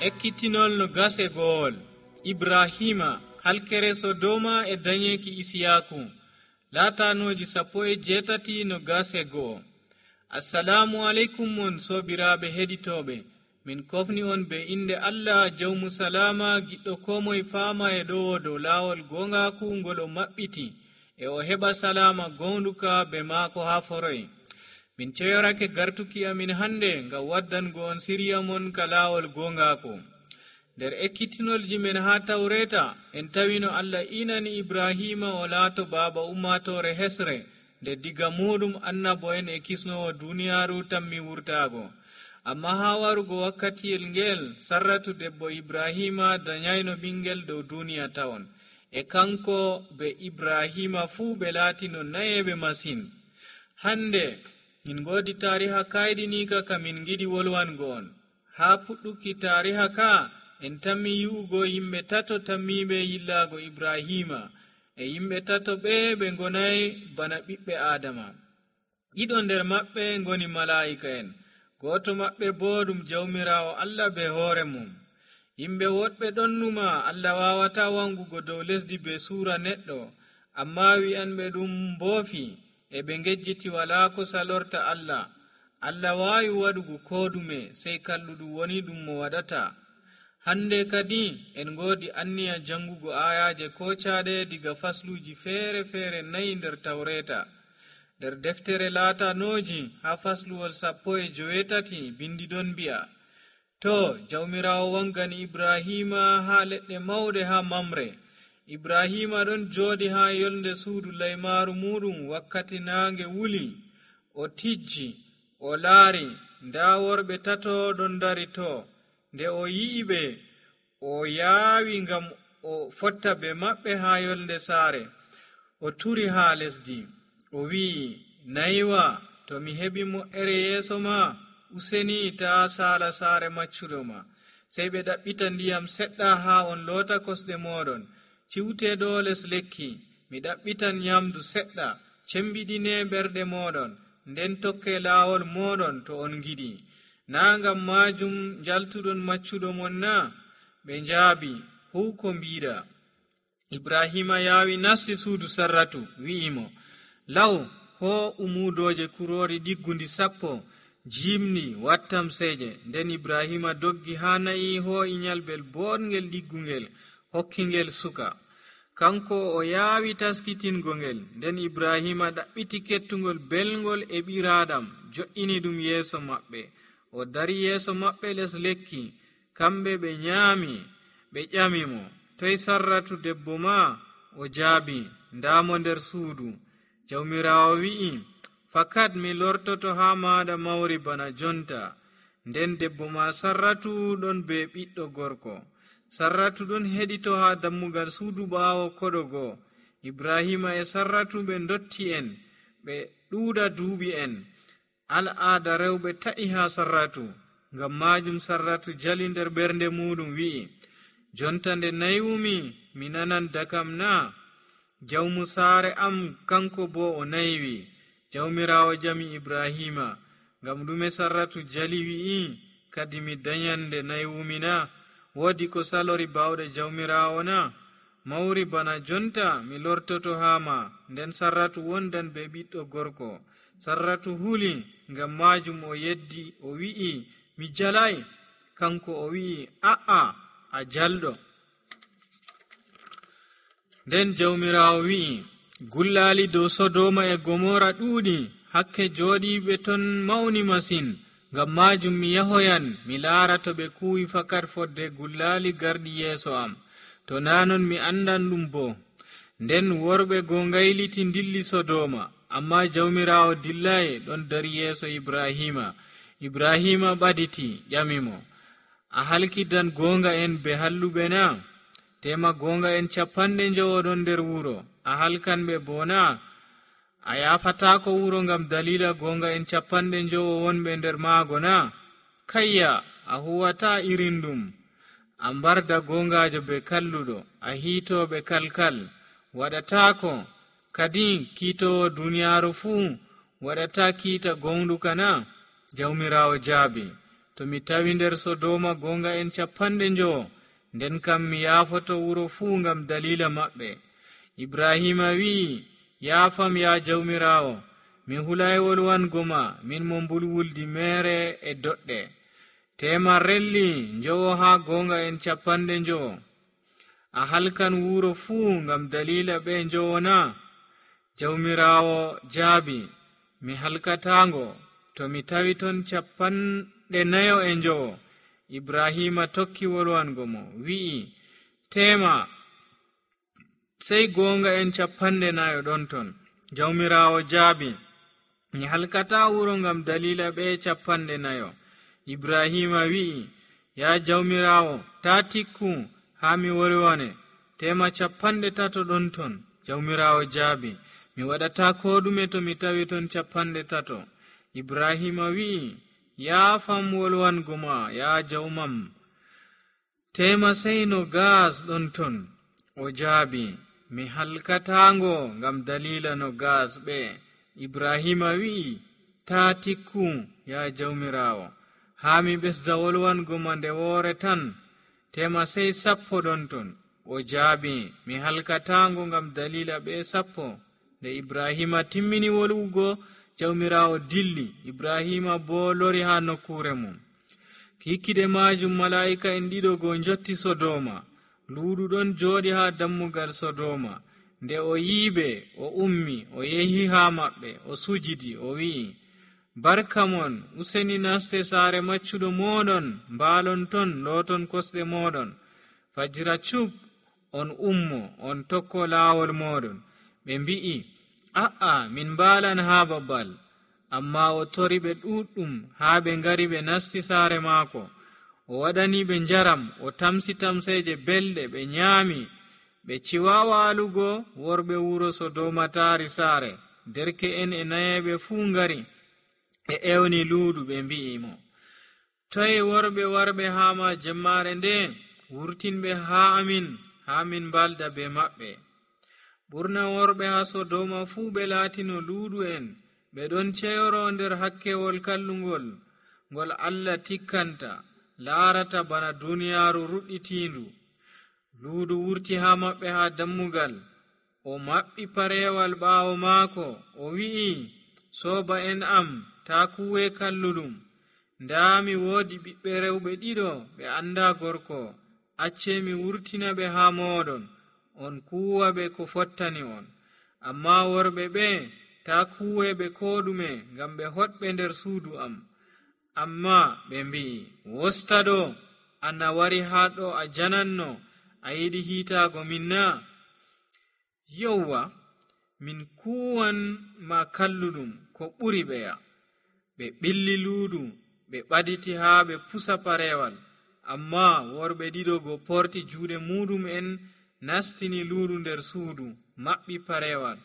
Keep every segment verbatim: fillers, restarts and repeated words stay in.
Ekkitinol no gase gool. Ibrahima halkere Sodoma e dañeki Isiyaku. Laatanoji sappo e jeetati no gase goo. Assalamu alaikum mon sobiraɓe heɗitoɓe. Min kofni on be inde Allah jawmu salama giɗɗo komoye faama e ɗowo dow laawol gongaku ngol o maɓɓiti e o heɓa salama gonduka be maako ha foroy. Min ceyorake gartuki amin hande ngam waddango on siriya mon ka laawol gongaku. nder ekkitinolji men ha tawreta en tawino Allah inani Ibrahima o laato baaba ummatore hesre nde diga muɗum annabo en e kisnowo duniyaru tammi wurtago. Amma ha warugo wakkatiyel ngel Sarratu debbo Ibrahima danyayno ɓingel dow duniya tawon, e kanko be Ibrahima fuu ɓe laatino nayeɓe masin. Hande min godi tariha kaydinika ka min giɗi wolwango on. Ha puɗɗuki tariha ka en tammi yi'ugo yimɓe tato tammiɓe yillago Ibrahima, e yimɓe tato ɓe ɓe gonayi bana ɓiɓɓe Adama. ɗiɗo nder maɓɓe ngoni mala'ika en, goto maɓɓe bo ɗum jawmirawo Allah be hoore mum. Yimɓe woɗɓe ɗon numa Allah wawata wangugo dow lesdi be suura neɗɗo, amma wi'anɓe ɗum mboofi e ɓe ngejjiti wala ko salorta Allah. Allah wawi waɗugo kodume sey kalluɗum woni ɗum mo waɗata. Hande kadi en godi anniya jangugo ayaje kocaɗe diga fasluji feere feere nayi nder tawreta. nder deftere laatanoji ha fasluwol sappo e joweetati bindi ɗon mbi'a, to jawmirawo wangani Ibrahima ha leɗɗe mawɗe ha Mamre. Ibrahima ɗon jooɗi ha yolnde suudu laymaru muɗum wakkati naange wuli. O tijji, o laari, nda worɓe tato ɗon dari to. Nde o yi'i ɓe, o yaawi ngam o fotta be maɓɓe ha yolnde saare. O turi ha lesdi, o wi'i, nayiwa, to mi heɓi mo'ere yeeso ma, useni ta saala saare maccuɗo ma. Sey ɓe ɗaɓɓita ndiyam seɗɗa ha on loota kosɗe moɗon, ciwteɗo les lekki. Mi ɗaɓɓitan nyamdu seɗɗa, cembiɗine ɓerɗe moɗon, nden tokke laawol moɗon to on giɗi. Na ngam majum jaltuɗon maccuɗo mon na? Ɓe njaabi, huu ko mbiɗa. Ibrahima yaawi nasti suudu Sarratu, wi'imo, law ho umudoje kurori ɗiggundi sappo, jimni wattam seje. Nden Ibrahima doggi ha nayi ho'i nyalbel boɗngel ɗiggungel, hokkingel suka. Kanko o yaawi taskitingo ngel. Nden Ibrahima ɗaɓɓiti kettugol belgol e ɓiraɗam, jo'ini ɗum yeeso maɓɓe. O dari yeeso maɓɓe les lekki. Kamɓe ɓe nyaami, ɓe ƴamimo, toy Sarratu debbo ma? O jaabi, ndamo nder suudu. Jawmirawo wi'i, fakat mi lortoto ha maɗa mawri bana jonta. Nden debbo ma Sarratu ɗon be ɓiɗɗo gorko. Sarratu ɗon heɗito ha dammugal suudu ɓaawo koɗo goo. Ibrahima e Sarratu ɓe dotti en, ɓe ɗuuɗa duuɓi en. Al'aada rewɓe ta'i ha Sarratu. Ngam majum Sarratu jali nder ɓernde muɗum wi'i, jonta nde naywumi mi nanan dakam na? Jawmu saare am kanko bo o naywi. Jawmirawo jami Ibrahima, ngam ɗume Sarratu jali wi'i, kadi mi dañan nde naywumi na? Woodi ko salori bawɗe jawmirawo na? Mawri bana jonta mi lortoto ha ma. Nden Sarratu wondan be ɓiɗɗo gorko. Sarratu huli, ngam majum o yeddi o wi'i, mi jalai. Kanko o wi'i, a'a, a jalɗo. Nden jawmirawo wi'i, gullali dow Sodoma e Gomora ɗuuɗi, hakke jooɗiɓe ton mawni masin. Ngam majum mi yahoyan mi laara to ɓe kuwi fakat fodde gullali garɗi yeeso am, to nanon mi andan ɗum bo. Nden worɓe goo ngayliti dilli Sodoma, amma jawmirawo dillayi ɗon dari yeeso Ibrahima. Ibrahima ɓaditi ƴamimo, a halkidan gonga en be halluɓe na? Tema gonga en capanɗe njowoɗon nder wuro, a halkan ɓe bona? A yafatako wuro ngam dalila gonga en capanɗe njowo wonɓe nder maago na? Kayya, a huwata irin ɗum. A mbarda gongajo be kalluɗo, a hiitoɓe kalkal. Waɗatako kadi kiitowo duniyaru fuu waɗata kiita gonɗuka na? Jawmirawo jaabi, to mi tawi nder Sodoma gonga en capanɗe njowo, nden kam mi yaafoto wuro fuu ngam dalila maɓɓe. Ibrahima wi'i, yaafam ya jawmirawo, mi hulay wolwango ma, min mo mbulwuldi mere e doɗɗe. Tema relli njowo haa gonga en capanɗe njowo. A halkan wuro fuu ngam dalila ɓe njowo na? Jawmirawo jaabi, mi halkatango to mi tawi ton capanɗe nayo e njowo. Ibrahima tokki wolwango mo, wi'i, tema sey gonga en capanɗe nayo ɗon ton. Jawmirawo jaabi, mi halkata wuro ngam dalila ɓe capanɗe nayo. Ibrahima wi'i, ya jawmirawo, ta tikku haa mi wolwane, tema capanɗe tato ɗon ton. Jawmirawo jaabi, mi waɗata ko ɗume to mi tawi ton capanɗe tato. Ibrahima wi'i, yaafam wolwango ma ya jawmam, tema sey no gas ɗon ton. O jaabi, mi halkatango ngam dalila no gas ɓe. Ibrahima wi'i, ta tikku ya jawmirawo, haa mi ɓesda wolwango ma nde woore tan, tema sey sappo ɗon ton. O jaabi, mi halkatango ngam dalila ɓe sappo. Nde Ibrahima timmini wolwugo, jawmirawo dilli. Ibrahima bo lori haa nokkure mum. Kikkide majum mala'ika en ɗiɗo go njotti Sodoma. Luuɗu ɗon jooɗi haa dammugal Sodoma. Nde o yiiɓe, o ummi, o yehi haa maɓɓe, o sujidi, o wi'i, barka mon, useni naste saare maccuɗo moɗon, mbaalon ton, looton kosɗe moɗon. Fajira cuk, on ummo, on tokko laawol moɗon. Ɓe mbi'i, a'a, min mbaalan haa babal. Amma o tori ɓe ɗuɗɗum haa ɓe ngari ɓe nasti saare maako. O waɗani ɓe njaram, o tamsi tamseje belɗe, ɓe nyaami. Ɓe ciwa waalugo, worɓe wuro Sodoma taari saare. Derke'en e nayeɓe fuu ngari, ɓe ewni luudu, ɓe mbi'i mo, toye worɓe warɓe haa ma jemmaare nde? Wurtinɓe haa amin, haa min mbalda be maɓɓe. Ɓurna worɓe haa Sodoma fuu ɓe laatino luudu en, ɓe ɗon ceyoro nder hakkewol kallungol, ngol Allah tikkanta, laarata bana duniyaaru ruɗɗitiindu. Luudu wurti haa maɓɓe haa dammugal, o maɓɓi parewal ɓaawo maako, o wi'i, sooba en am, taa kuwe kalluɗum. Ndaa mi woodi ɓiɓɓe rewɓe ɗiɗo, ɓe anda gorko, acce mi wurtina ɓe haa mooɗon, on kuwa ɓe ko fottani on. Amma worɓe ɓe, taa kuweɓe ko ɗume, ngam ɓe hoɗɓe nder suudu am. Amma ɓe mbi'i, wosta ɗo, ana wari haa ɗo a jananno, a yiɗi hiitaago min na? Yowwa, min kuwan ma kalluɗum ko ɓuri ɓeya. Ɓe ɓilli luudu, ɓe ɓaditi haa ɓe pusa parewal. Amma worɓe ɗiɗo go porti juuɗe muɗum en, nastini luudu nder suudu, maɓɓi parewal.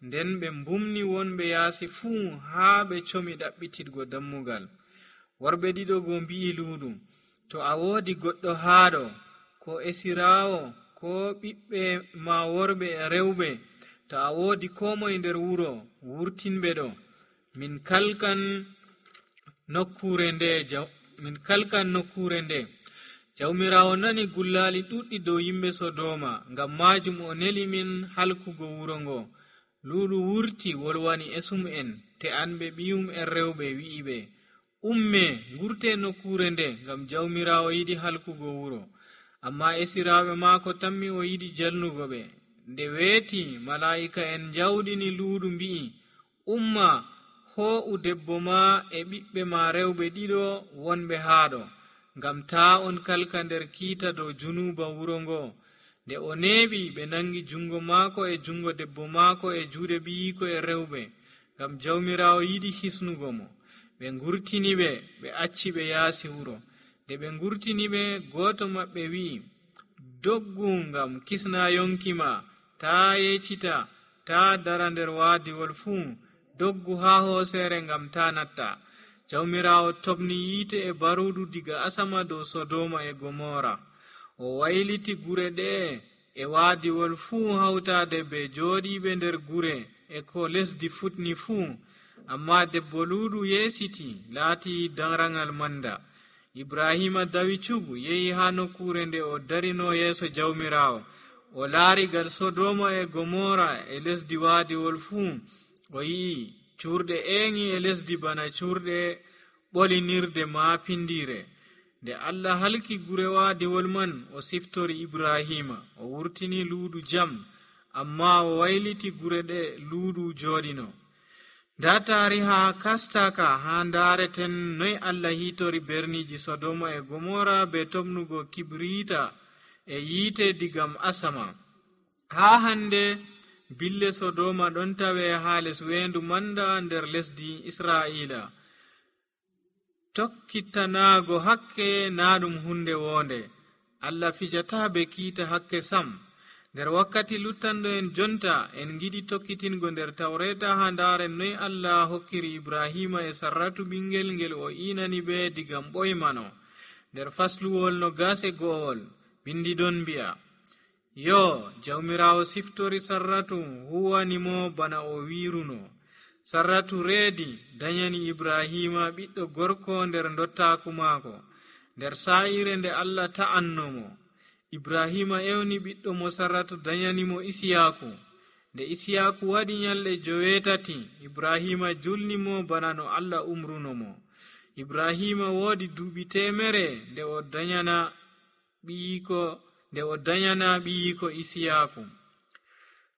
Nden ɓe mbumni wonɓe yaasi fuu haa ɓe comi ɗaɓɓititgo dammugal. Worɓe ɗiɗo go mbi'i luudu, to a woodi goɗɗo haaɗo, ko esiraawo, ko ɓiɓɓe ma worɓe e rewɓe, to a woodi ko moye nder wuro, wurtinɓe ɗo. Min kalkan nokkure nde, min kalkan nokkure nde. Jawmirawo nani gullaali ɗuɗɗi dow yimɓe Sodoma, ngam majum o neli min halkugo wuro ngo. Luuɗu wurti wolwani esum en, te anɓe ɓiyum en rewɓe, wi'i ɓe, umme ngurte nokkure nde, ngam jawmirawo yiɗi halkugo wuro. Amma esiraaɓe maako tammi o yiɗi jalnugo ɓe. Nde weeti, mala'ika en jawɗini luuɗu mbi'i, umma hoo'u debbo ma e ɓiɓɓe ma rewɓe ɗiɗo wonɓe haaɗo, ngam taa on kalka nder kiita dow junuba wuro ngo. Nde o neeɓi, ɓe nangi jungo maako e jungo debbo maako e juuɗe ɓiyiko e rewɓe, ngam jawmirawo yiɗi hisnugo mo. Ɓe ngurtini ɓe, ɓe acci ɓe yaasi wuro. Nde ɓe ngurtini ɓe, gooto maɓɓe wi'i, doggu ngam kisna yonki ma, taa yeccita, taa dara nder waadiwol fuu, doggu haa hooseere ngam taa natta. Jawmirawo tobni yiite e baruudu diga asama dow Sodoma e Gomora. O wayliti gure ɗe e waadiwol fuu hawtaade be jooɗiiɓe nder gure e ko lesdi futni fuu. Amma debbo luuɗu yeesiti, laati darangal manda. Ibrahima dawi cugu yehi ha nokkure nde o darino yeeso jawmirawo. O laari gal Sodoma e Gomora e lesdi waadiwol fuu. O yi'i cuurɗe eŋi e lesdi bana cuurɗe ɓolinirde maapindire. Nde Allah halki gure waadiwol man, o siftori Ibrahima. O wurtini luuɗu jam, amma o wayliti gure ɗe luuɗu jooɗino. Nda taariha kastaka ha ndaareten noy Allah hitori berniji Sodoma e Gomora be tomnugo kibrita e yiite digam asama. Ha hande bille Sodoma ɗon tawe ha les weendu manda nder lesdi Israa'ila. Tokkitanago hakke na ɗum hunde wonde. Allah fijata be kiita hakke sam. Nder wakkati luttando en jonta en giɗi tokkitingo nder tawreta ha ndaren noy Allah hokkiri Ibrahima e Sarratu ɓingel ngel o inani be digam ɓoymano. Nder fasluwol no gase go'ol bindi ɗon mbi'a, yo jawmirawo siftori Sarratu huwanimo bana o wiruno. Sarratu reedi danyani Ibrahima ɓiɗɗo gorko nder dottaku maako. Nder sa'ire nde Allah ta'annomo, Ibrahima ewni ɓiɗɗo mo Sarratu danyanimo Isiyaku. Nde Isiyaku waɗi nyalɗe joweetati, Ibrahima julnimo bana no Allah umrunomo. Ibrahima woodi duuɓi temere nde o danyana ɓiyiko nde o danyana ɓiyiko Isiyaku.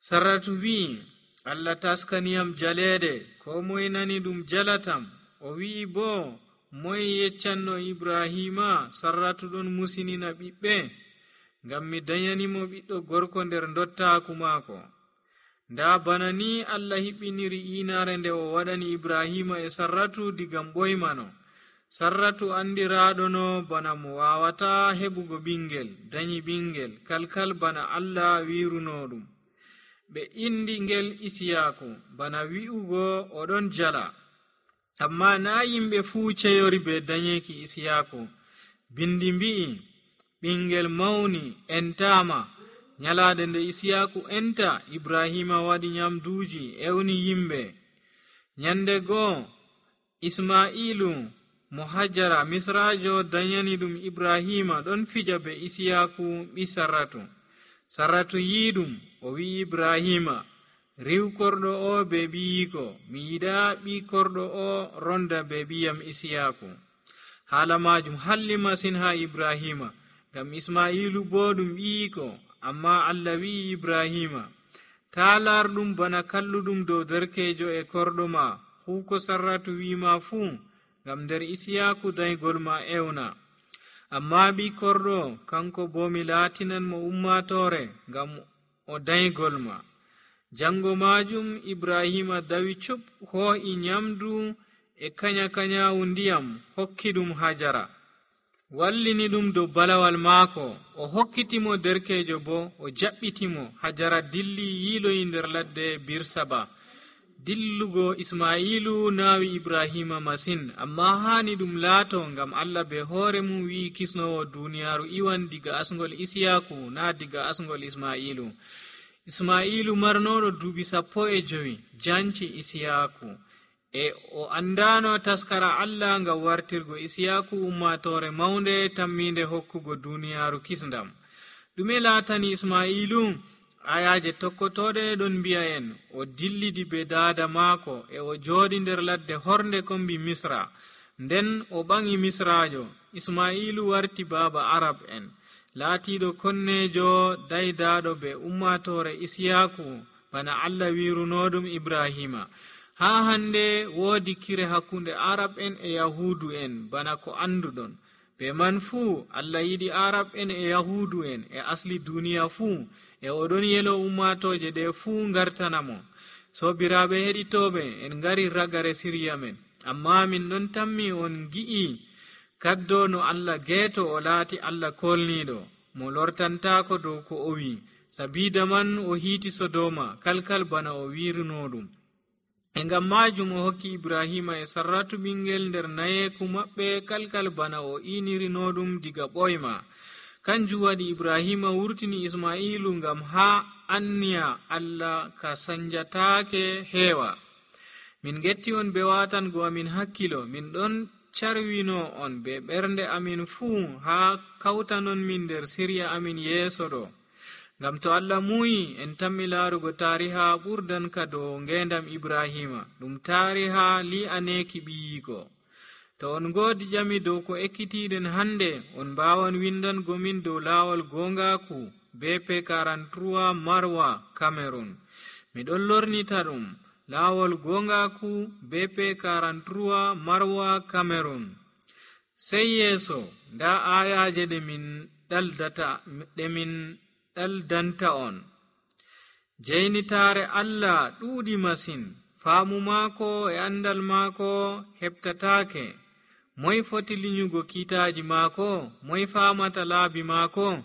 Sarratu wi'i, Allah taskaniyam jaleede, ko moye nani ɗum jalatam. O wi'i bo, moye yeccanno Ibrahima Sarratu ɗon musinina ɓiɓɓe, ngam mi danyanimo ɓiɗɗo gorko nder dottaku maako. Nda bana ni Allah hiɓɓiniri inaare nde o waɗani Ibrahima e Sarratu digam ɓoymano. Sarratu andiraɗono bana mo wawata heɓugo ɓingel, danyi ɓingel kalkal bana Allah wiruno ɗum. Ɓe indi ngel Isiyaku bana wi'ugo oɗon jala. Amma na yimɓe fuu ceyori be danyeki Isiyaku. Bindi mbi'i, ɓingel mawni entama. Nyalaade nde Isiyaku enta, Ibrahima waɗi nyamduuji ewni yimɓe. Nyande goo Isma'ilu mo Hajara Misrajo danyani ɗum Ibrahima ɗon fija be Isiyaku ɓi Sarratu. Sarratu yiɗum, o wi'i Ibrahima, riw korɗo o be ɓiyiko, mi yiɗa ɓi korɗo o ronda be ɓiyam Isiyaku. Haala majum halli masin ha Ibrahima, ngam Isma'ilu bo ɗum ɓiyiko. Amma Allah wi'i Ibrahima, ta larɗum bana kalluɗum dow derkejo e korɗo ma, huuko Sarratu wi'ima fuu, ngam nder Isiyaku daygol ma ewna. Amma ɓi korɗo kanko bo mi laatinan mo ummatore ngam o daygol ma. Jango majum Ibrahima dawi cup hoo'i nyamdu e kanya kanyawu ndiyam hokki ɗum Hajara. Wallini ɗum dow balawal maako, o hokkitimo derkejo bo o jaɓɓitimo. Hajara dilli yiiloyi nder ladde Birsaba. Dillugo Isma'ilu naawi Ibrahima masin, amma hani ɗum laato ngam Allah be hoore mum wi'i kisnowo duniyaaru iwan diga asngol Isiyaku na diga asngol Isma'ilu. Isma'ilu marnoɗo duuɓi sappo e jowi janci Isiyaku, e o andano taskara Allah ngam wartirgo Isiyaku ummatore mawnde tamminde hokkugo duniyaaru kisndam. Ɗume laatani Isma'ilu? Ayaje tokkotoɗe ɗon mbi'a en o dillidi be daada maako e o jooɗi nder ladde hornde kombi Misra. Nden o ɓangi Misrajo. Isma'ilu warti baaba Arab en, laatiɗo konnejo daydaɗo be ummatore Isiyaku bana Allah wirunoɗum Ibrahima. Ha hande woodi kire hakkunde Arab en e Yahudu en bana ko anduɗon. Be man fuu Allah yiɗi Arab en e Yahudu en e asli duniya fuu, e oɗon yelo ummatoje ɗe fuu ngartanamo. Sobiraɓe heɗitoɓe, en ngari ragare siriya men, amma min ɗon tammi on gi'i kaddo no Allah geeto o laati Allah kolniɗo mo lortantako dow ko o wi. Sabida man o hiiti Sodoma kalkal bana o wirino ɗum. E ngam majum o hokki Ibrahima e Sarratu ɓingel nder nayeku maɓɓe kalkal bana o inirino ɗum diga ɓoyma. Kanjum waɗi Ibrahima wurtini Isma'ilu ngam ha anniya Allah ka sanjatake heewa. Min getti on be watango amin hakkilo, min ɗon carwino on be ɓernde amin fuu haa kawtanon min nder sirya amin yeeso ɗo. Ngam to Allah muyi en tammi laarugo taariha ɓurdan ka dow ngendam Ibrahima, ɗum taariha li'aneeki ɓiyiiko. To on ngoodi ƴami dow ko ekkitiiɗen hande, on mbaawan windango min dow laawol goongaaku B P quarante-trois Marwa, Cameroon. Miɗon lornita ɗum laawol goongaaku B P quarante-trois Marwa, Cameroon. Sey yeeso nda aayaaje ɗe min ɗaldata ɗe min ɗaldanta on. Jeynitaare Allah ɗuuɗi masin, faamu maako e andal maako heɓtataake. Moy foti linyugo kiitaaji maako? Moy faamata laabi maako?